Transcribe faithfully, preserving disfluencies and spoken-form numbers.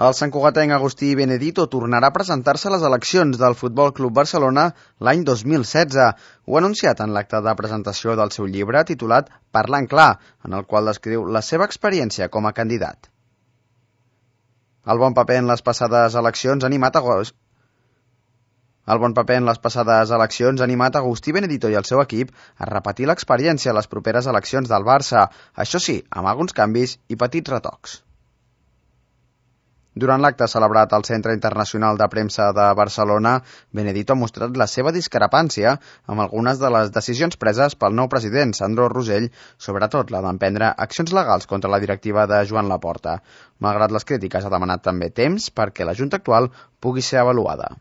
El santcugatenc Agustí Benedito tornarà a presentar-se a les eleccions del Futbol Club Barcelona l'any dos mil setze. Ho ha anunciat en l'acte de presentació del seu llibre titulat Parlant clar, en el qual descriu la seva experiència com a candidat. El bon paper en les passades eleccions ha animat a El bon paper en les passades eleccions ha animat Agustí Benedito i el seu equip a repetir l'experiència a les properes eleccions del Barça, això sí, amb alguns canvis i petits retocs. Durant l'acte celebrat al Centre Internacional de Premsa de Barcelona, Benedito ha mostrat la seva discrepància amb algunes de les decisions preses pel nou president, Sandro Rosell, sobretot la d'emprendre accions legals contra la directiva de Joan Laporta. Malgrat les crítiques, ha demanat també temps perquè la Junta actual pugui ser avaluada.